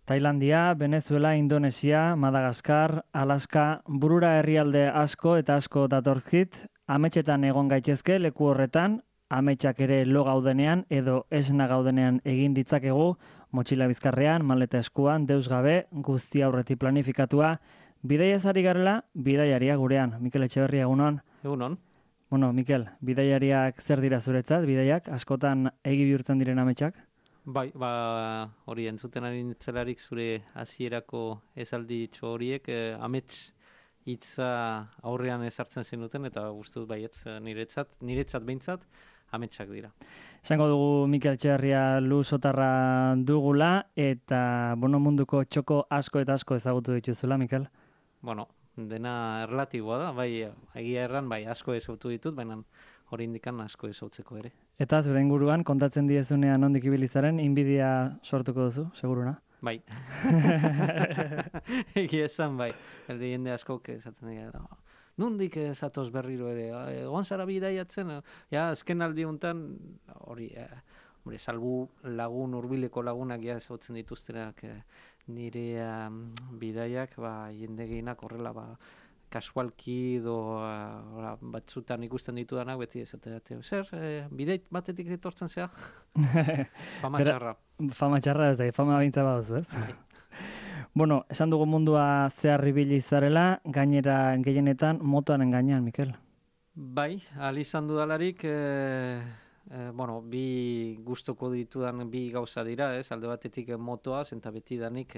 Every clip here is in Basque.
Tailandia, Venezuela, Indonesia, Madagaskar, Alaska, burura herrialde asko eta asko datorzkit, ametsetan egon gaitezke leku horretan, ametsak ere lo gaudenean edo esna gaudenean egin ditzakegu, motxila bizkarrean, maleta eskuan, deus gabe, guzti aurretik planifikatua, bidaiaz ari garela, bidaiaria gurean. Mikel Etxeberria, egunon? Egunon. Bueno, Mikel, bidaiariak zer dira zuretzat, bidaiak, askotan egi bihurtzen diren ametsak? Bai, hori entzuten ari nitzelarik zure hasierako esalditxo horiek, amets hitza aurrean ezartzen zenuten, eta guztut baietz niretzat behintzat, ametsak dira. Esango dugu Mikel Etxeberria luzotarra dugula, eta munduko txoko asko eta asko ezagutu dituzula, Mikel? Bueno, dena erlatiboa da, bai, egia erran, bai, asko ezagutu ditut, baina hori indikan asko ezautzeko ere. Eta zure inguruan, kontatzen diezunean nondik ibilizaren, inbidia sortuko duzu, seguruna? Bai. Egia esan, bai. Jende askok esaten dira, nondik zatoz berriro ere, egon zara bidaiatzen, azken aldi honetan, hori, salbu lagun, hurbileko lagunak ezautzen dituztenak nire bidaiak, jende gehienak horrela, kasualki edo batzutan ikusten ditudanak beti esatea, zer, bideit batetik etortzen zea? Fama txarra. Fama txarra ez da, fama bintza baduzu, ez? Bueno, esan dugu mundua zehar ibili zarela, gainera gehienetan motoaren gainean, Mikel. Bai, izan dudalarik, bi gustoko ditudan bi gauza dira, ez? Alde batetik motoaz, eta beti danik,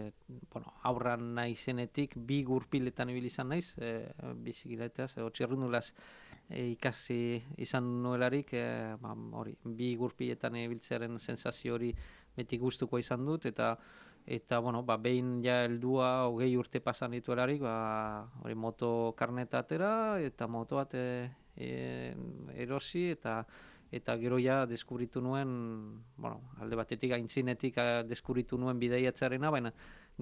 aurran naizenetik, bi gurpiletan ibili izan naiz, bizikilateaz, txirrundulaz ikasi izan nuelarik, bi gurpiletan ibiltzearen sensazio hori beti gustuko izan dut, eta behin ja heldua 20 urte pasan dituelarik, hori moto karneta atera, eta moto bat erosi, eta gero ja deskubritu nuen, alde batetik aintzinetik deskubritu nuen bidaiatzarena, baina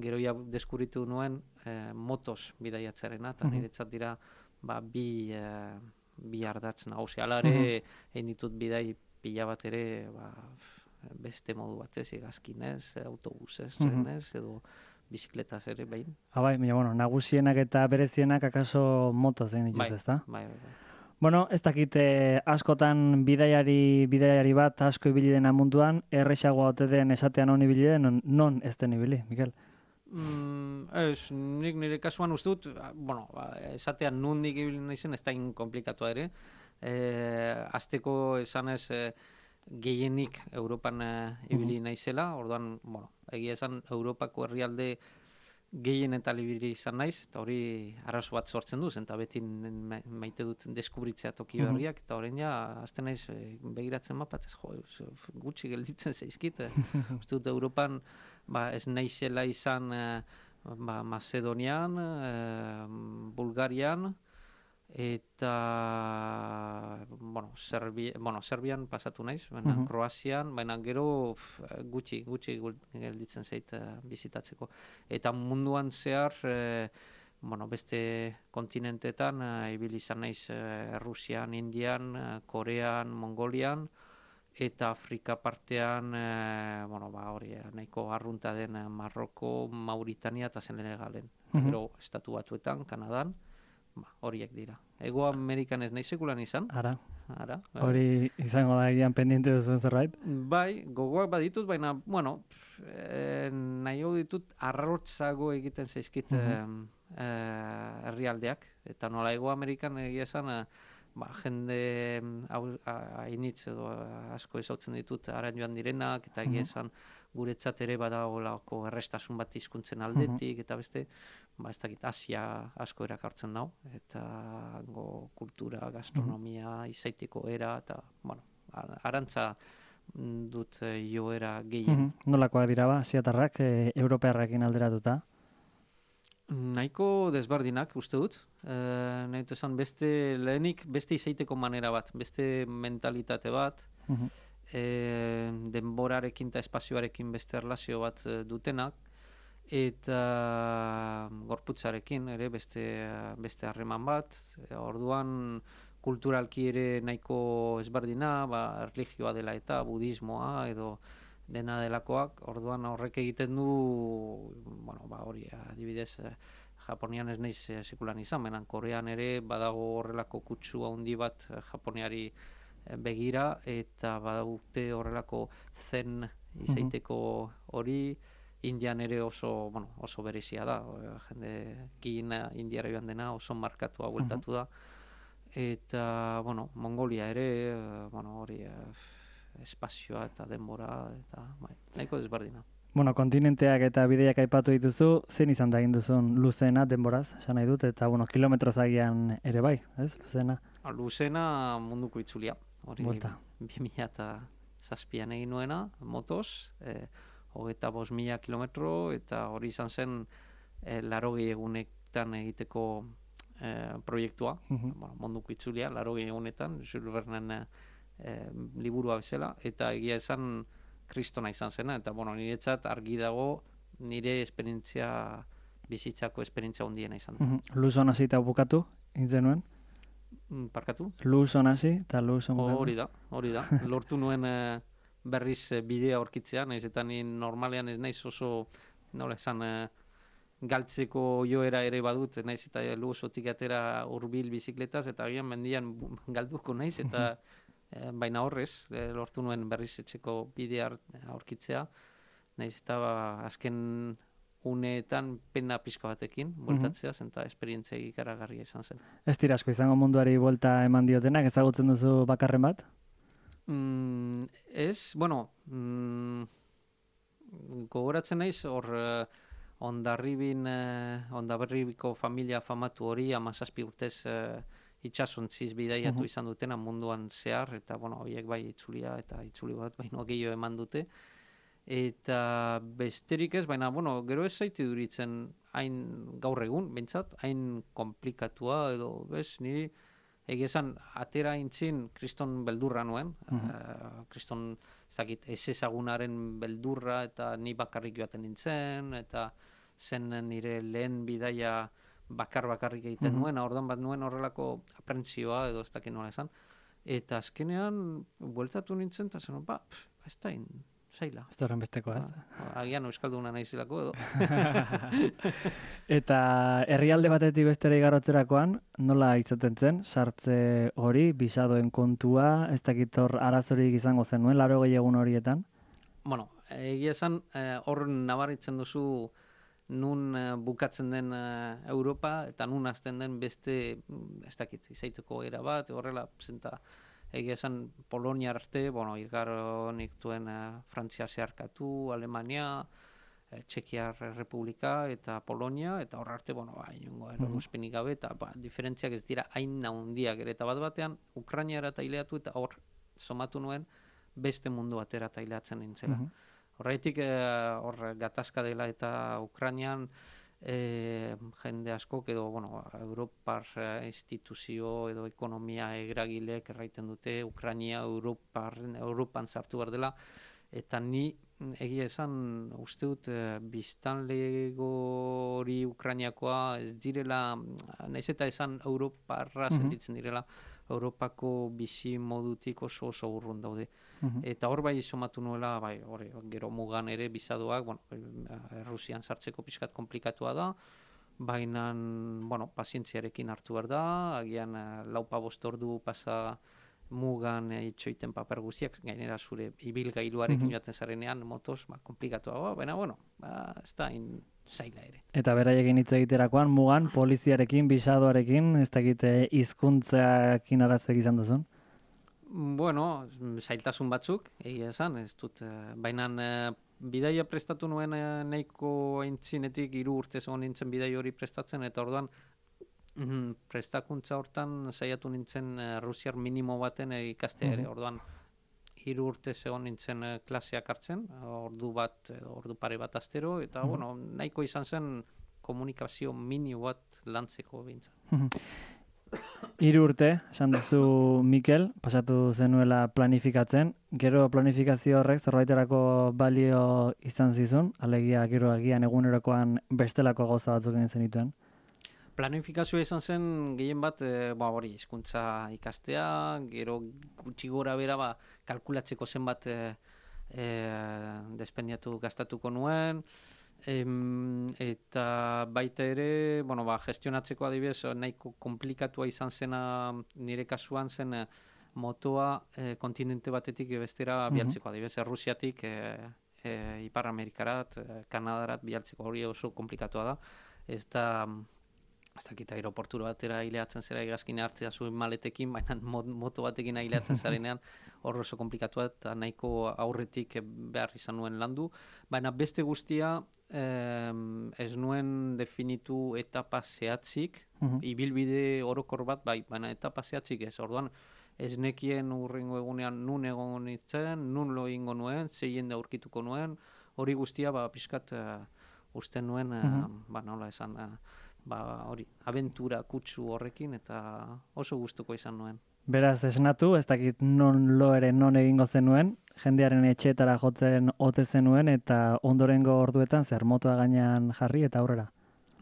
gero ja deskubritu nuen motos bidaiatzarena, eta niretzat dira bi ardatz nagusi. Hala ere, egin ditut bidai pila bat ere, beste modu batez, hegazkinez, autobusez, trenez, edo bizikletaz ere behin. Nagusienak eta berezienak akaso motoz egin dituz, ezta? Bai. Ez dakit askotan bidaiari bat asko ibili dena munduan, erresagoa ote den esatean non ibili den, non ez den ibili, Mikel? Ez, nik nire kasuan uste dut, esatean nondik ibili naizen ez da inkomplikatua ere. Azteko esanez gehienik Europan ibili naizela, orduan, egia esan Europako herrialde gehien eta libiri izan naiz, eta hori arrazo bat sortzen duz, eta beti maite dut deskubritzea toki berriak, eta horrein ja, azten naiz begiratzen mapatez, gutxi gelditzen zaizkit. Uste dut Europan ez naizela izan Macedonian, Bulgarian, eta Serbian pasatu naiz, baina Kroazian, baina gero gutxi gelditzen zait bizitatzeko. Eta munduan zehar, beste kontinentetan, ibili izan naiz Rusian, Indian, Korean, Mongolian, eta Afrika partean, hori nahiko arrunta den Marroko, Mauritania eta Senegalen. Gero Estatu Batuetan, Kanadan, horiek dira. Ego Amerikan ez nahi sekulan izan. Ara. Hori izango da egian pendiente duzuen zerbait? Bai, gogoak baditut, baina, nahi hau ditut arrotzago egiten zaizkit herrialdeak. Eta nola Ego Amerikan egia esan, jende hainitz edo asko ezautzen ditut haren joan direnak, eta egia esan guretzat ere badagoelako errestasun bat hizkuntzen aldetik, eta beste, ez dakit, Asia asko erakartzen nau, eta kultura, gastronomia, izaiteko era, eta, arantza dut joera gehien. Nolakoak dira asiatarrak, europearrakin alderatuta? Nahiko desbardinak, uste dut. Nahi dut esan, lehenik beste izaiteko manera bat, beste mentalitate bat, denborarekin eta espazioarekin beste erlazio bat dutenak, eta gorputzarekin ere beste harreman bat. Orduan kulturalki ere nahiko ezberdina, religioa dela eta budismoa edo dena delakoak, orduan horrek egiten du, bueno, hori, adibidez, Japonian ez naiz sekulan izan, menan Korean ere badago horrelako kutsu handi bat Japoniari begira, eta badaute horrelako zen izaiteko hori, Indian ere oso berezia da, jendeekin Indiara joan dena oso markatua bueltatu da, eta, Mongolia ere, hori, espazioa eta denbora, eta nahiko desberdina. Kontinenteak eta bideiak aipatu dituzu, zein izan da egin duzun luzena denboraz, esan nahi dut, eta, kilometroz agian ere bai, ez, luzena? Luzena munduko itzulia, hori 2007an egin nuena, motoz, 25.000 kilometro, eta hori izan zen 80 egunetan egiteko proiektua, munduko itzulia, 80 egunetan, Jules Vernen liburua bezala, eta egia esan kristona izan zena, eta niretzat argi dago nire esperientzia, bizitzako esperientzia handiena izan da. Luzon hasi eta bukatu, egin nuen? Parkatu? Luzon hasi eta Luzon bukatu. Hori da. Lortu nuen berriz bidea aurkitzea, nahiz eta ni normalean ez naiz oso, nola esan, galtzeko joera ere badut, naiz eta Luzotik atera hurbil bizikletaz, eta agian mendian galduko naiz, eta baina horrez, lortu nuen berriz etxeko bidea aurkitzea, nahiz eta azken uneetan pena pixka batekin, bueltatzea, eta esperientzia ikaragarria izan zen. Ez dira asko izango munduari buelta eman diotenak, ezagutzen duzu bakarren bat? Ez, gogoratzen naiz, hor Hondarribiko familia famatu hori 17 urtez itxasuntziz bidaiatu izan dutena munduan zehar, eta horiek bai itzulia eta itzuli bat baino gehiago eman dute. Eta besterik ez, baina gero ez zaite duritzen hain gaur egun, bintzat, hain komplikatua edo, niri egia esan atera intzin kriston beldurra nuen, kriston ez ezagunaren beldurra, eta ni bakarrik joaten nintzen, eta zen nire lehen bidaia bakarrik egiten nuen, orduan bat nuen horrelako aprentzioa edo ez dakit nola esan, eta azkenean bueltatu nintzen, eta zen, ez da zaila. Ez da horren besteko, ez? Agian euskalduna naizilako edo. Eta herrialde batetik bestera igarotzerakoan, nola izaten zen, sartze hori, bisadoen kontua, ez dakit hor arazorik izango zen nuen, 80 egun horietan? Egia esan, hor nabaritzen duzu nun bukatzen den Europa, eta nun hasten den beste, ez dakit, izaiteko era bat, horrela, zenta, egia esan Polonia arte, irgaro niktuen Frantzia zeharkatu, Alemania, Txekiar Republika eta Polonia, eta hor arte, inongo eragozpenik gabe, eta diferentziak ez dira hain handiak ere, eta bat-batean Ukrainiara taileatu, eta hor somatu nuen beste mundu batera taileatzen nintzela. Horretik, hor gatazka dela eta Ukrainian jende askok edo, Europar instituzio edo ekonomia eragilek erraiten dute Ukrainia Europan sartu behar dela, eta ni egia esan uste dut biztanlegori Ukrainiakoa ez direla, nahiz eta esan Europarra sentitzen direla, Europako bizi modutik oso urrun daude. Eta hor bai somatu nuela, gero mugan ere bizadoak, Rusian sartzeko pixkat komplikatua da, baina, pazientziarekin hartu behar da, agian 4-5 ordu pasa mugan itxoiten paper guztiak, gainera zure ibilgailuarekin joaten zarenean, motoz, komplikatua, baina, ez da zaila ere. Eta beraiekin hitz egiterakoan, mugan, poliziarekin, bisadoarekin, ez dakite hizkuntzakin arazoak izan duzun? Zailtasun batzuk, egia esan, ez dut, baina bidaia prestatu nuen nahiko aintzinetik 3 urte egon nintzen bidai hori prestatzen, eta orduan prestakuntza hortan saiatu nintzen rusiar minimo baten ikastea ere, orduan 3 urte egon nintzen klaseak hartzen, ordu pare bat astero, eta nahiko izan zen komunikazio minimo bat lantzeko bintza. 3 urte, esan duzu Mikel, pasatu zenuela planifikatzen, gero planifikazio horrek zerbaiterako balio izan zizun, alegia gero agian egunerokoan bestelako gauza batzuk egin zenituen? Planifikazioa izan zen gehien bat, hizkuntza ikastea, gero gutxi gora bera kalkulatzeko zenbat despendiatu gastatuko nuen, eta baita ere, gestionatzeko adibidez, nahiko komplikatua izan zena nire kasuan zen motoa kontinente batetik bestera bialtzeko, adibidez, Errusiatik Ipar Amerikarat, Kanadarat bialtzeko, hori oso komplikatua da. Ez dakit aeroportura batera hileatzen zera hegazkina hartzea zuen maletekin, baina moto batekin hileatzen zarenean hor oso komplikatua eta nahiko aurretik behar izan nuen landu. Baina beste guztia ez nuen definitu etapa zehatzik, ibilbide orokor bat bai, baina etapa zehatzik ez. Orduan ez nekien urrengo egunean nun egon nintzen, nun lo egingo nuen, ze jende aurkituko nuen, hori guztia pixkat usten nuen, nola esan, hori, abentura kutsu horrekin eta oso gustuko izan nuen. Beraz, esnatu, ez dakit non egingo zenuen, jendearen etxeetara jotzen ote zenuen eta ondorengo orduetan zer motoa gainean jarri eta aurrera.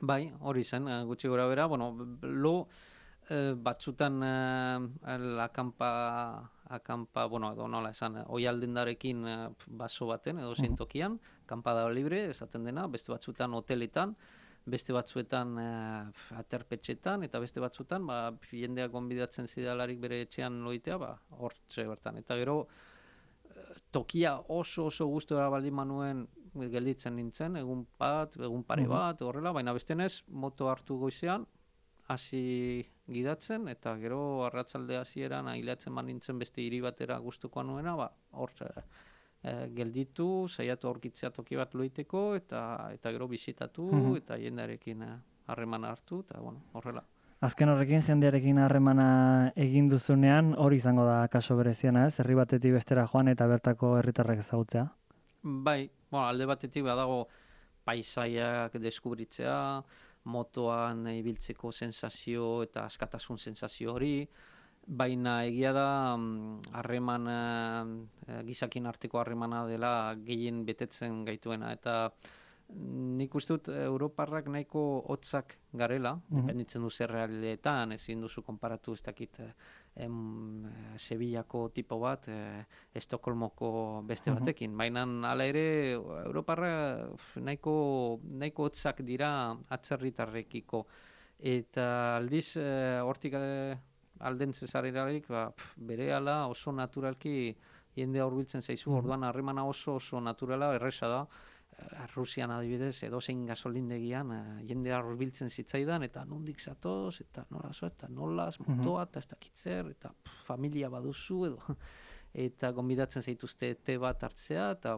Bai, hori zen, gutxi gora bera, batzutan akampa, edo nola esan, oialdendarekin baso baten, edo zintokian, akampada libre, esaten dena, beste batzutan hoteletan, beste batzuetan aterpetxetan, eta beste batzuetan, jendeak gonbidatzen zidalarik bere etxean loitea, hortxe bertan. Eta gero, tokia oso gustora baldin manuen gelditzen nintzen, egun pare bat, horrela, baina bestenez, moto hartu goizean, hasi gidatzen, eta gero arratsalde hasieran aileatzen nintzen beste hiri batera gustukoa nuena, hortxe gelditu, saiatu aurkitzea toki bat loiteko, eta gero bisitatu, eta jendearekin harremana hartu, eta horrela. Azken horrekin jendearekin harremana egin duzunean, hori izango da kaso bereziana, ez? Herri batetik bestera joan eta bertako herritarrek ezagutzea? Bai, alde batetik badago paisaiak deskubritzea, motoan ibiltzeko sensazio eta askatasun sensazio hori, baina egia da harreman gizakin arteko harremana dela gehien betetzen gaituena, eta nik uste dut Europarrak nahiko hotzak garela, dependitzen du zer realetan, ezin duzu konparatu ez dakit Sevillako tipo bat, Estokolmoko beste batekin, baina hala ere Europarra nahiko hotzak dira atzerritarrekiko, eta aldiz hortik alden zezarelarik berehala oso naturalki jendea hurbiltzen zaizu, orduan harremana oso naturala, erresa da. Rusian adibidez, edozein gasolindegian jendea hurbiltzen zitzaidan, eta nondik zatoz, eta nolaz, motoa, eta ez dakitzer, eta familia baduzu, eta gonbidatzen zaituzte te bat hartzea, eta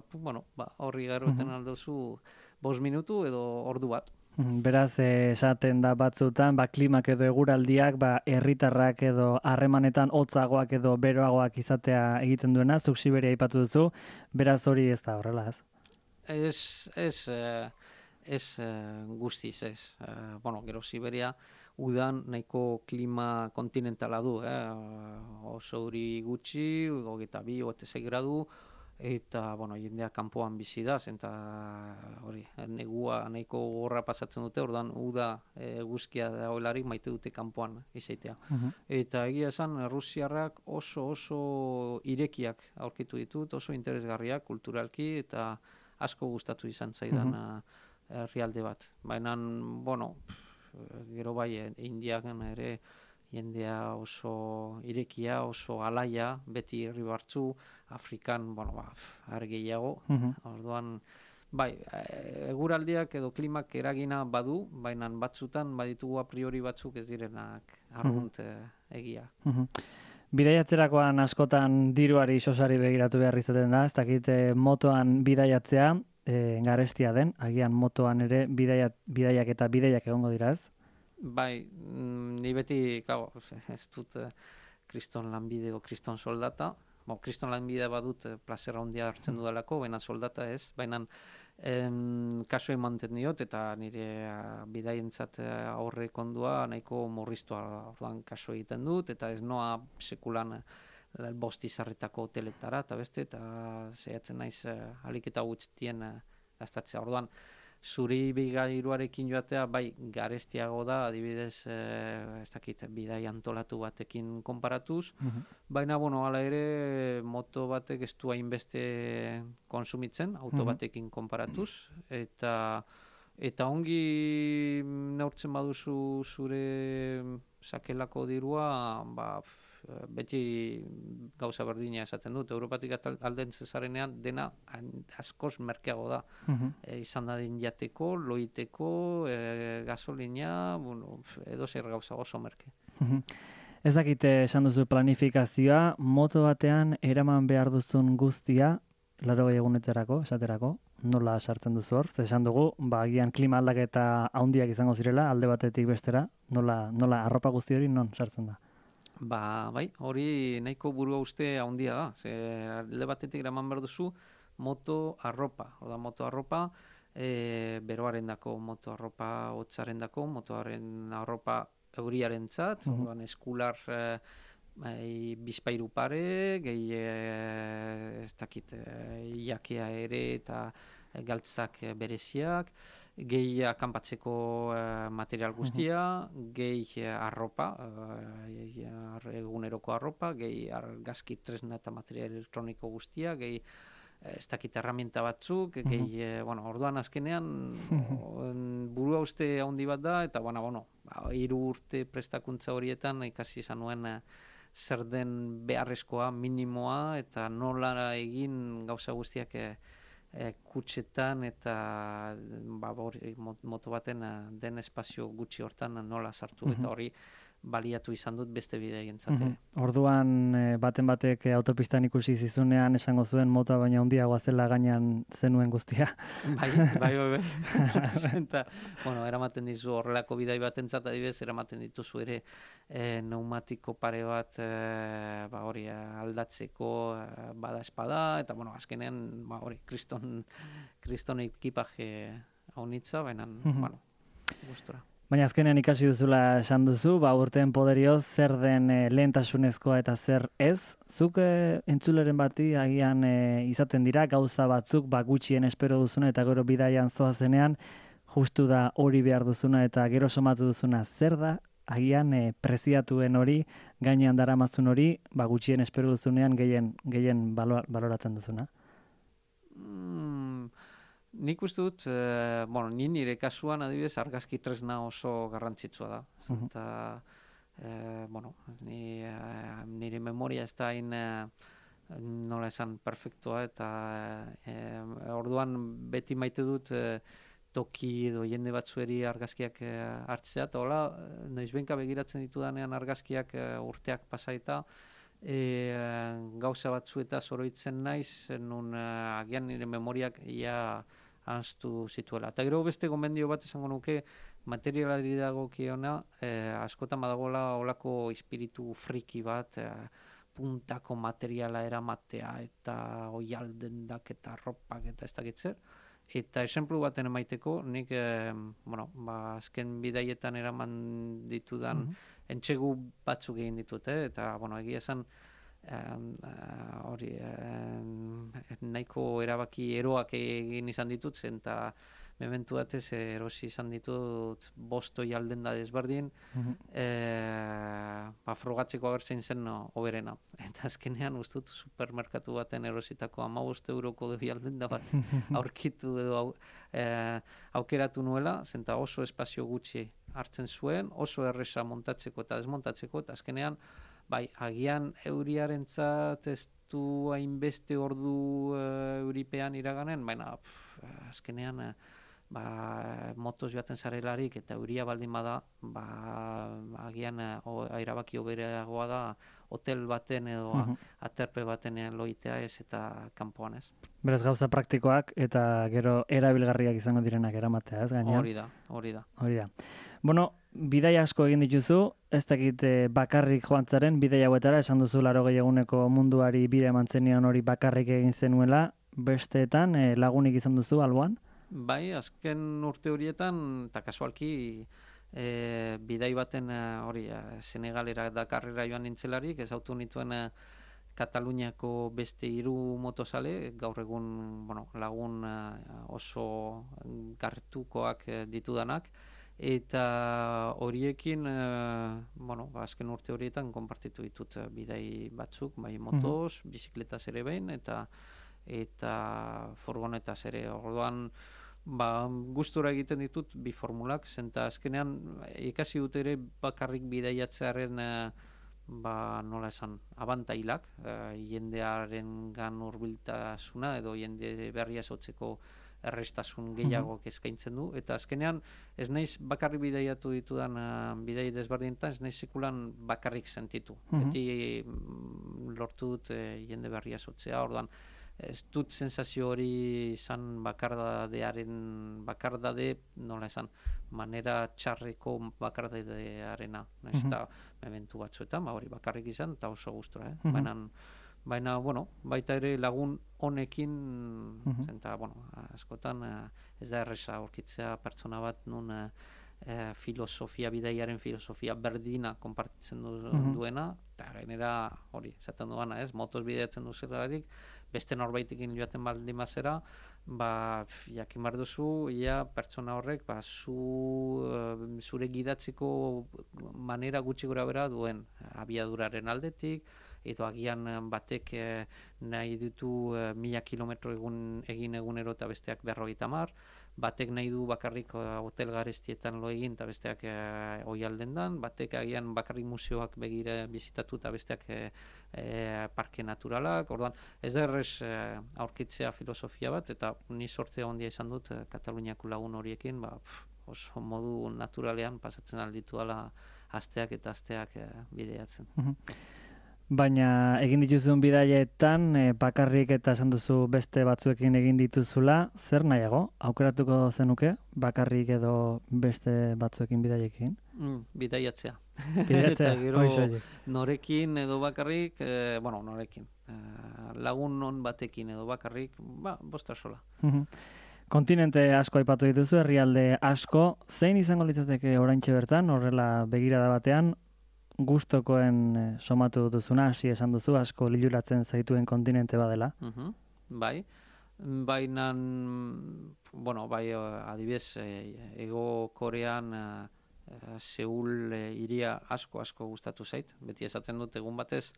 horri garroten aldozu 5 minutu edo ordu bat. Beraz, esaten da batzutan, klimak edo eguraldiak, herritarrak edo harremanetan hotzagoak edo beroagoak izatea egiten duena, zuk Siberia aipatu duzu, beraz hori ez da horrela, ez? Ez guztiz, ez. Gero Siberia udan nahiko klima kontinentala du, oso euri gutxi, 22-26 gradu, eta jendea kanpoan bizi da, eta hori, negua nahiko gorra pasatzen dute, ordan uda eguzkia dagoelarik maite dute kanpoan izaitea. Eta egia esan, Rusiarrak oso irekiak aurkitu ditut, oso interesgarriak kulturalki, eta asko gustatu izan zaidan herrialde bat. Baina, gero bai, Indiakan ere jendea oso irekia, oso alaia, beti herri batzu, Afrikan, argeiago. Orduan, bai, eguraldiak edo klimak eragina badu, baina batzutan baditugu a priori batzuk ez direnak argunt egia. Bidaiatzerakoan askotan diruari sosari begiratu behar izaten da, ez dakit motoan bidaiatzea garestia den, agian motoan ere bidaiak eta bidaiak egongo dira, ez? Bai, ni beti, ez dut kriston lanbide o kriston soldata, kriston lanbide badut plazera handia hartzen dudalako, baina soldata ez, baina kaso emanten diot, eta nire bidaientzat aurre kondua nahiko murriztua orduan kaso egiten dut, eta ez noa sekulan bost izarretako hoteletara, eta beste, eta zehatzen naiz alik eta gutxitien gastatzea. Orduan, zuri bigairuarekin joatea, bai, garestiago da, adibidez, ez dakit, bidai antolatu batekin konparatuz, baina, bueno, hala ere, moto batek ez du hainbeste konsumitzen, auto batekin konparatuz, eta ongi neurtzen baduzu zure sakelako dirua, ba, beti gauza berdina esaten dut. Europatik alden zezarenean dena askoz merkeago da. Izan dadin jateko, loiteko, gasolina, bueno, edo zer gauza oso merke. Ez dakite esan duzu planifikazioa, moto batean eraman behar duzun guztia, 80 egunetarako, esaterako, nola sartzen duzu hor? Zer esan dugu, agian klima aldaketa handiak izango zirela, alde batetik bestera, nola arropa guzti hori non sartzen da? Bai, hori nahiko burua uste handia da. Alde batetik eraman behar duzu moto arropa. Moto arropa, beroaren dako, moto arropa hotzaren dako, motoaren arropa euriaren zat, eskular bizpairu pare, gehi ez dakit jakea ere eta galtzak bereziak, gehi akanpatzeko material guztia, gehi arropa, eguneroko arropa, gehi argazki tresna eta material elektroniko guztia, gehi ez dakit erramienta batzuk, gehi, orduan azkenean burua uste handi bat da, eta 3 urte prestakuntza horietan ikasi izan nuen zer den beharrezkoa, minimoa, eta nola egin gauza guztiak kutxetan eta moto baten den espazio gutxi hortan nola sartu, eta hori baliatu izan dut beste bideientzat. Orduan baten batek autopistan ikusi zizunean esango zuen motoa baina handiagoa zela gainean zenuen guztia. Bai. Eta, eramaten dizu horrelako bidai batentzat adibidez, eramaten dituzu ere pneumatiko pare bat hori aldatzeko bada espada, eta azkenean hori kriston ekipaje haunitza, baina gustora. Baina azkenean ikasi duzula esan duzu, urteen poderioz zer den lehentasunezkoa eta zer ez. Zuk entzuleren bati agian izaten dira gauza batzuk gutxien espero duzuna eta gero bidaian zoazenean justu da hori behar duzuna eta gero somatu duzuna zer da, agian preziatuen hori, gainean daramazun hori, gutxien espero duzunean gehien baloratzen duzuna. Nik uste dut, nire kasuan adibidez argazki tresna oso garrantzitsua da. Eta, nire memoria ez da hain, nola esan, perfektua, eta orduan beti maite dut toki edo jende batzueri argazkiak hartzea, eta hola, noizbenka begiratzen ditudanean argazkiak urteak pasaita, gauza batzueta zoroitzen naiz, nun agian nire memoriak ahaztu zituela. Eta gero beste gomendio bat esango nuke, materialari dagokiona, askotan badagoela olako espiritu friki bat, puntako materiala eramatea, eta oialdendak eta arropak eta ez dakitzer. Eta esenplu baten emaiteko, nik azken bidaietan eraman ditudan entsegu batzuk egin ditut, eta egia esan nahiko erabaki eroak egin izan ditut, eta mementu batez erosi izan ditut 5 oialden da desberdin, frogatzeko agertzen zen hoberena. Eta azkenean ustut supermerkatu baten erositako 15 euroko oialden da bat aurkitu edo aukeratu nuela, zenta oso espazio gutxi hartzen zuen, oso erresa montatzeko eta desmontatzeko, eta azkenean agian euriarentzat ez du hainbeste ordu euripean iraganen, baina azkenean motoz joaten zarelarik eta euria baldin bada, agian erabaki hobereagoa da hotel baten edo aterpe baten loitea ez eta kanpoan ez. Beraz gauza praktikoak eta gero erabilgarriak izango direnak eramatea, ez gainean? Hori da. Bidai asko egin dituzu, ez dakit bakarrik joan zaren, bidai hauetara, esan duzu 80 eguneko munduari bide eman zenion hori bakarrik egin zenuela, besteetan lagunik izan duzu alboan? Bai, azken urte horietan, eta kasualki, bidai baten Senegalera Dakarrera joan nintzelarik, ezautu nituen Kataluniako beste 3 motozale, gaur egun lagun oso gartukoak ditudanak, eta horiekin azken urte horietan konpartitu ditut bidai batzuk, bai motoz, bizikletaz ere behin, eta furgonetaz ere. Orduan gustura egiten ditut bi formulak, zenta azkenean ikasi dut ere bakarrik bidaiatzearen nola esan, abantailak, jendearen gan hurbiltasuna edo jende berria sortzeko errestasun gehiago eskaintzen du, eta azkenean ez naiz bakarrik bidaiatu ditudan bidai desberdinetan, ez naiz sekulan bakarrik sentitu. Beti lortu dut jende berria sortzea, orduan ez dut sensazio hori izan bakardade, nola esan, manera txarreko bakardadearena. Eta mementu batzuetan, hori bakarrik izan, eta oso gustura. Baina, baita ere lagun honekin, eta, askotan ez da erresa aurkitzea pertsona bat nun bidaiaren filosofia berdina konpartitzen duena, eta gainera hori, esaten duana, motoz bidaiatzen duzelarik, beste norbaitekin joaten baldin bazera, jakin behar duzu, pertsona horrek zure gidatzeko manera gutxi gora bera duen abiaduraren aldetik, edo agian batek nahi ditu 1000 kilometro egin egunero eta besteak 50, batek nahi du bakarrik hotel garestietan lo egin eta besteak oihalden dan, batek agian bakarrik museoak begire bizitatu eta besteak parke naturalak. Orduan, ez da errez aurkitzea filosofia bat, eta ni sorte handia izan dut Kataluniako lagun horiekin, oso modu naturalean pasatzen alditu ala asteak eta asteak bideiatzen. Baina egin dituzun bidaietan, bakarrik eta esan duzu beste batzuekin egin dituzula, zer nahiago? Aukeratuko zenuke, bakarrik edo beste batzuekin bidaiekin? Bidaiatzea. Bidaiatzea, eta gero norekin edo bakarrik, norekin. Lagun non batekin edo bakarrik, bosta sola. Kontinente asko aipatu dituzu, herrialde asko. Zein izango litzateke oraintxe bertan, horrela begirada batean, gustokoen somatu duzuna, hasi esan duzu, asko liluratzen zaituen kontinente badela? Bai, baina, adibidez, Ego Korean Seul hiria asko gustatu zait. Beti esaten dut egun batez,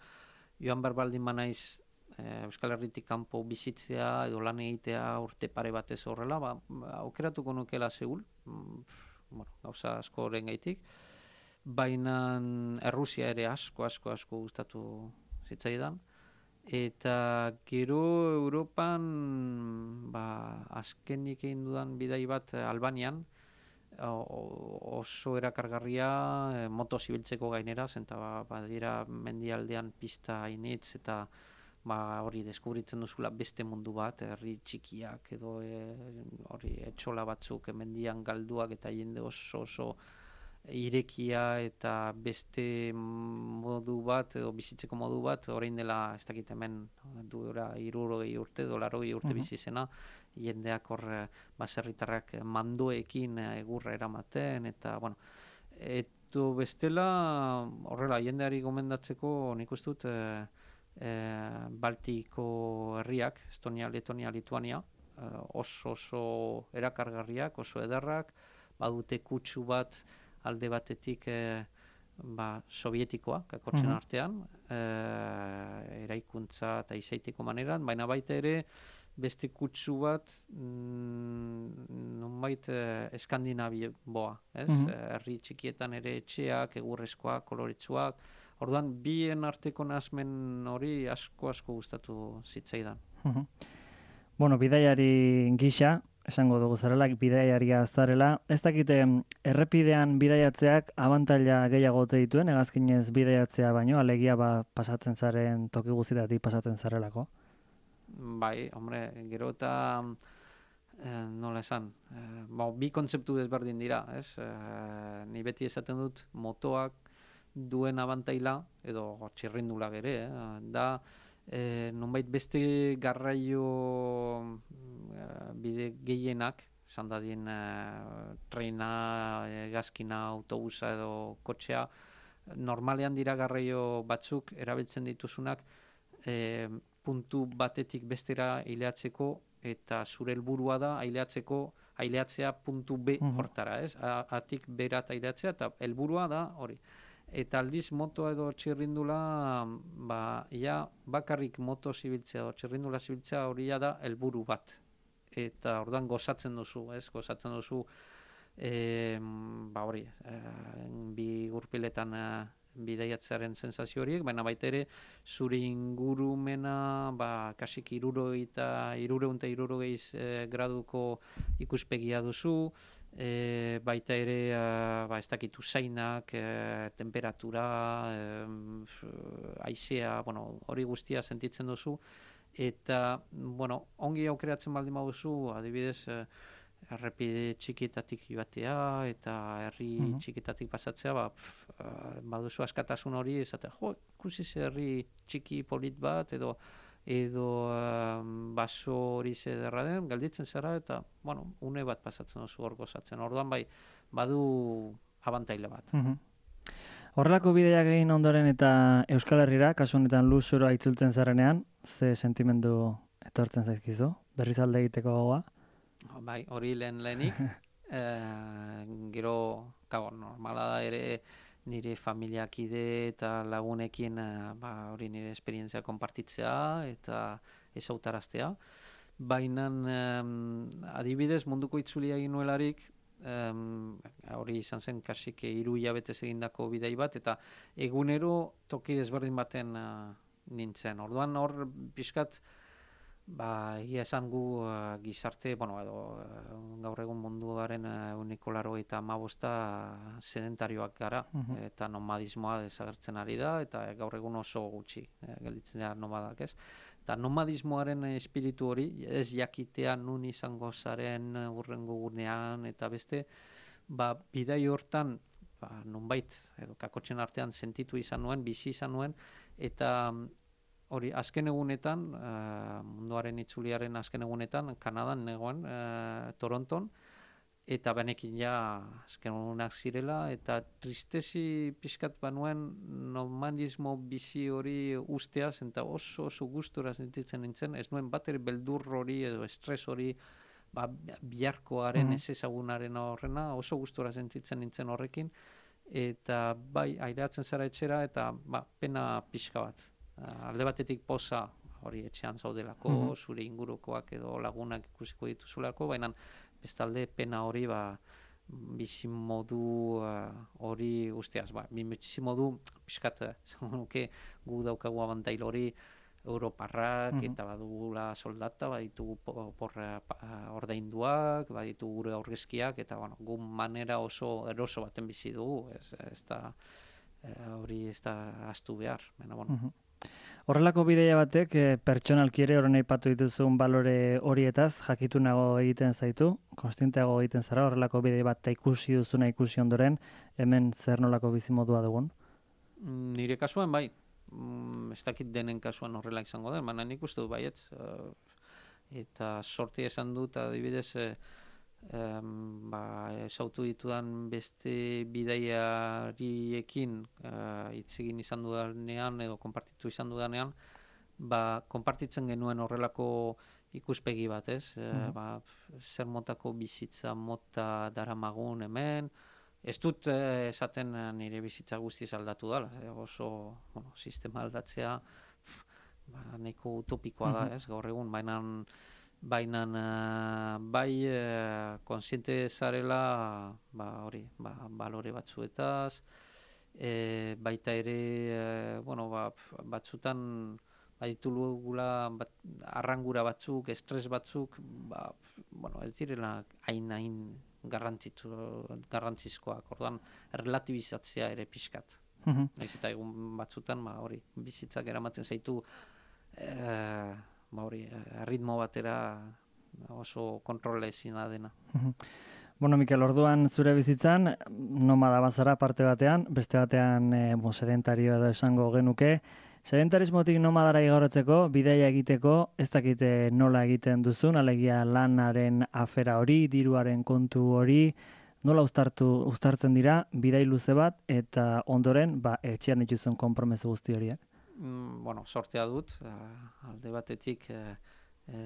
joan berbaldin banaiz Euskal Herritik kanpo bizitzea edo lan egitea urte pare batez horrela, aukeratuko nukela Seul, gauza asko horren gaitik. Baina Errusia ere asko gustatu zitzaidan. Eta gero Europan azkenik egin dudan bidai bat Albanian, oso erakargarria motoz ibiltzeko gainera, zenta badira mendialdean pista hainitz eta hori deskubritzen duzula beste mundu bat, herri txikiak edo hori etxola batzuk mendian galduak eta jende oso irekia eta beste modu bat edo bizitzeko modu bat, orain dela ez dakit hemen duela 60 urte, 80 urte bizi zena, jendeak hor baserritarrak mandoekin egurra eramaten, eta eto bestela horrela jendeari gomendatzeko nik uste dut Baltiko herriak, Estonia, Letonia, Lituania, oso erakargarriak, oso ederrak, badute kutsu bat alde batetik sovietikoa, kakotxen artean, eraikuntza eta izaiteko maneran, baina baita ere beste kutsu bat nonbait eskandinabioa, herri txikietan ere etxeak, egurrezkoak, koloretsuak, orduan bien arteko nahasmen hori asko gustatu zitzaidan. Bidaiari gisa, esango dugu zarela, bidaiaria zarela. Ez dakite, errepidean bidaiatzeak abantaila gehiago ote dituen, hegazkinez bidaiatzea baino, alegia pasatzen zaren, toki guztietatik pasatzen zarelako? Bai, hombre, gero eta nola esan, bi kontzeptu desberdin dira, ez? Ni beti esaten dut motoak duen abantaila, edo txirrindulak ere, da nonbait beste garraio bide gehienak, esan dadien trena, hegazkina, autobusa edo kotxea, normalean dira garraio batzuk erabiltzen dituzunak puntu batetik bestera aileatzeko, eta zure helburua da aileatzea puntu B hortara, ez? Atik berat aileatzea, eta helburua da hori. Eta aldiz motoa edo txirrindula, bakarrik moto zibiltzea edo txirrindula zibiltzea hori da helburu bat. Eta orduan gozatzen duzu, ez? Gozatzen duzu, hori, bi gurpiletan bidaiatzearen sensazio horiek, baina baita ere zure ingurumena kasik 360 graduko ikuspegia duzu, baita ere ez dakitu zainak, temperatura, haizea, hori guztia sentitzen duzu, eta ongi aukeratzen baldin baduzu, adibidez, errepide txikitatik joatea eta herri txikitatik pasatzea, baduzu askatasun hori, esatea, ikusi herri txiki polit bat, edo baso hori zederra den, gelditzen zara, eta, une bat pasatzen duzu hor gozatzen. Orduan badu abantaila bat. Horrelako bideak egin ondoren eta Euskal Herrira, kasu honetan luzura itzultzen zarenean, ze sentimendu etortzen zaizkizu? Berriz alde egiteko gogoa? Bai, hori lehenik. Gero, normala da ere nire familiakide eta lagunekin hori nire esperientzia konpartitzea eta ezautaraztea. Baina adibidez munduko itzulia egin nuelarik, hori izan zen kasik 3 hilabetez egindako bidei bat, eta egunero toki desberdin baten nintzen. Orduan hor pixkat, egia esan gu gizarte, edo gaur egun munduaren 95% sedentarioak gara, eta nomadismoa desagertzen ari da, eta gaur egun oso gutxi gelditzen dira nomadak, ez? Eta nomadismoaren espiritu hori, ez jakitea nun izango zaren hurrengo gunean, eta beste, bidai hortan, nonbait, edo kakotxen artean sentitu izan nuen, bizi izan nuen, eta hori, azken egunetan, munduaren itzuliaren azken egunetan, Kanadan negoen, Toronton, eta benekin azken egunak zirela, eta tristezi pixkat banuen nomadismo bizi hori usteaz, eta oso gustura sentitzen nintzen, ez nuen bat ere beldur hori edo estres hori, biharkoaren ez ezagunaren horrena, oso gustura sentitzen nintzen horrekin, eta aireatzen zara etxera, eta pena pixka bat. Alde batetik poza hori etxean zaudelako, zure ingurukoak edo lagunak ikusiko dituzulako, baina bestalde pena hori bizimodu hori guztiaz. Bizimodu pixkat gu daukagu abantail hori europarrak eta badugula soldata, baditu ordainduak, baditu gure aurrezkiak, eta gu manera oso eroso baten bizi dugu, hori ez da ahaztu behar. Horrelako bideia batek pertsonalki ere horren aipatu dituzun balore horietaz jakitunago egiten zaitu, konstienteago egiten zara horrelako bidei bat ikusi duzuna ikusi ondoren, hemen zer nolako bizimodua dugun? Nire kasuan bai, ez dakit denen kasuan horrela izango den, baina nik uste du baiet, eta sorti esan dut adibidez, esautu ditudan beste bidaiariekin hitz egin izan dudanean edo konpartitu izan dudanean, konpartitzen genuen horrelako ikuspegi bat, ez? Zer motako bizitza mota daramagun hemen, ez dut esaten nire bizitza guztiz aldatu dela, oso sistema aldatzea nahiko utopikoa da, ez? Gaur egun, baina bai konsiente zarela balore batzuetaz, baita ere batzutan baditugula arrangura batzuk, estres batzuk, ez direla hain garrantzizkoak, orduan relatibizatzea ere pixkat. Naiz eta egun batzutan bizitzak eramaten zaitu ritmo batera oso kontrola ezina dena. Mikel, orduan zure bizitzan nomada bazara parte batean, beste batean sedentario edo esango genuke. Sedentarismotik nomadara igarotzeko, bidaia egiteko, ez dakite nola egiten duzun, alegia lanaren afera hori, diruaren kontu hori, nola uztartzen dira, bidai luze bat, eta ondoren etxean dituzun konpromezu guzti horiak? bueno, sortea dut, alde batetik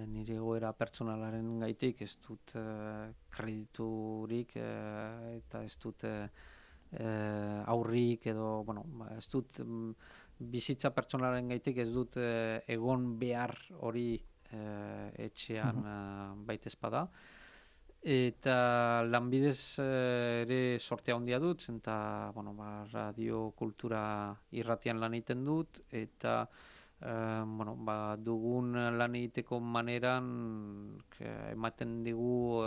nire egoera pertsonalaren gaitik ez dut krediturik eta ez dut aurrik edo, bueno, ez dut bizitza pertsonalaren gaitik ez dut egon behar hori etxean baitezpada. Eta lanbidez ere sortea handia dut, eta bueno, radio kultura irratian lan egiten dut, eta bueno, dugun lan egiteko maneran ematen digu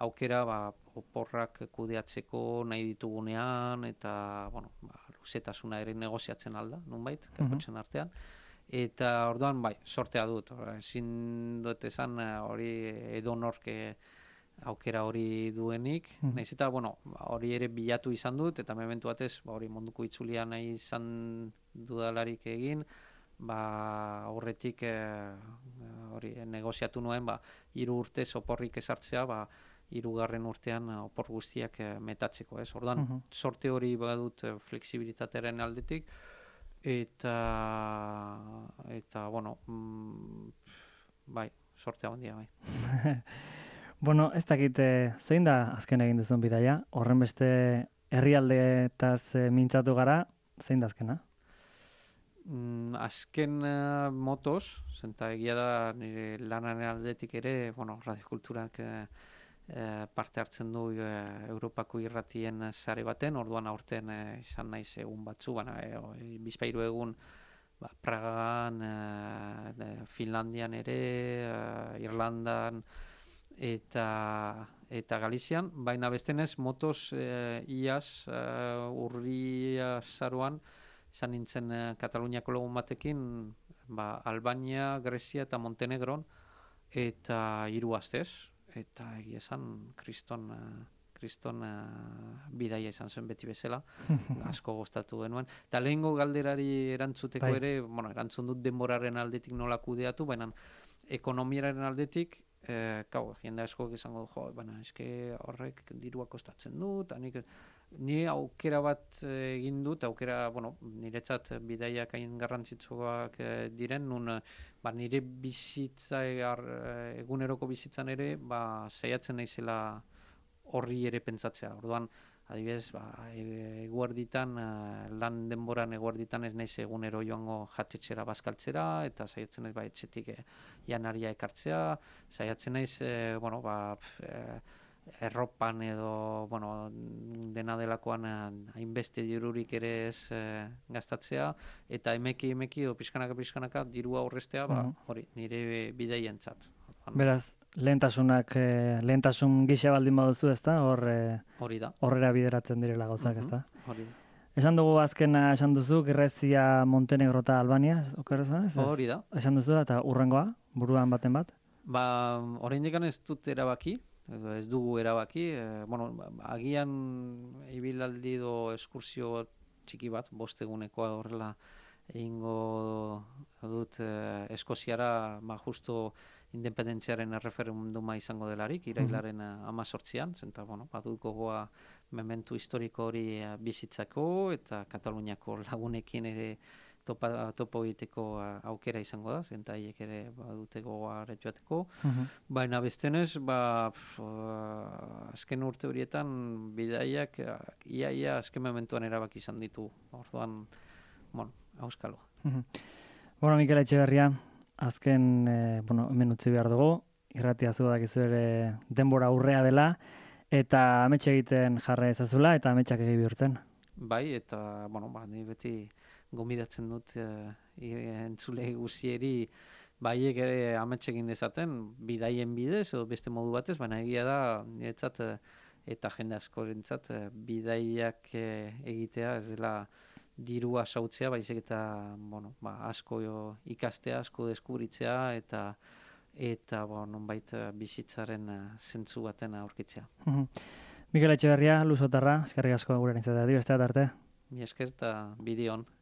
aukera oporrak kudeatzeko nahi ditugunean, eta bueno, luzetasuna ere negoziatzen alda, nonbait, kakotxen artean. Eta orduan, bai, sortea dut. Ezin dut esan hori edonork aukera hori duenik, nahiz eta, bueno, hori ere bilatu izan dut, eta mementu batez, hori munduko itzulia nahi izan dudalarik egin, horretik hori negoziatu nuen, 3 urte oporrik ezartzea, 3. urtean opor guztiak metatzeko, ez? Orduan, sorte hori badut fleksibilitatearen aldetik, eta bueno, bai, sortea handia, bai. Bueno, ez dakit zein da azken egin duzun bidaia? Horren beste herrialdeetaz mintzatu gara, zein da azkena? Azken motos, zenta egia da nire lanaren aldetik ere, bueno, radiokulturak parte hartzen du Europako irratien sare baten, orduan aurten izan naiz egun batzu, bizpairu egun Pragan, Finlandian ere, Irlandan, eta Galizian, baina bestenez motos iaz urria zaruan izan nintzen Kataluniako lagun batekin Albania, Grezia eta Montenegron eta 3 astez, eta egia esan kriston bidaia izan zen beti bezala, asko gustatu genuen. Eta lehengo galderari erantzuteko ere, bueno, erantzun dut denboraren aldetik nola kudeatu, baina ekonomiaren aldetik jende asko izango du, eske horrek dirua kostatzen du, eta ni aukera bat egin dut, aukera, bueno, niretzat bidaiak hain garrantzitsuak diren, nun nire bizitza, eguneroko bizitzan ere, saiatzen naizela horri ere pentsatzea. Orduan, adibidez, eguerditan, lan denboran eguerditan ez naiz egunero joango jatetxera bazkaltzera, eta saiatzen naiz etxetik janaria ekartzea, saiatzen naiz, bueno, erropan edo, bueno, dena delakoan hainbeste dirurik ere ez gastatzea, eta emeki edo pixkanaka dirua aurrestea, hori, nire bidaientzat. Beraz, lehentasun gisa baldin baduzu, ezta? Hori da. Horrera bideratzen direla gauzak, ezta? Hori da. Esan dugu azkena esan duzu, Grezia, Montenegro eta Albania, okerrezan ez? Hori da. Esan duzu eta urrengoa, buruan baten bat? Oraindik ez dut erabaki, edo ez dugu erabaki, bueno, agian ibilaldi edo eskursio txiki bat, 5 egunekoa horrela egingo dut Eskoziara, justo independentziaren erreferenduma izango delarik, irailaren 18an, zenta, bueno, baduko goa mementu historiko hori bizitzako, eta Kataluniako lagunekin ere topo egiteko aukera izango da, zenta haiek ere badute gogoare joateko. Baina bestenez, azken urte horietan bidaiak ia azken mementuan erabaki izan ditu. Orduan, bueno, auskalo. Bueno, Mikel Etxeberria, azken, hemen utzi behar dugu, irratia zu dakizu ere denbora aurrea dela, eta ametxe egiten jarra ezazula, eta ametxak egi bihurtzen. Bai, eta, bueno, ni beti gomidatzen dut entzule guzieri baiek ere ametxe egin dezaten, bidaien bidez, edo beste modu batez, baina egia da, niretzat, eta jende askorentzat, bidaiak egitea, ez dela dirua sautzea, baizik eta, bueno, asko ikastea, asko deskubritzea, eta nonbait bizitzaren zentzu baten aurkitzea. Mikel Etxeberria, Luzotarra, eskerrik asko gure nintzatea, beste arte. Mi esker eta bideon.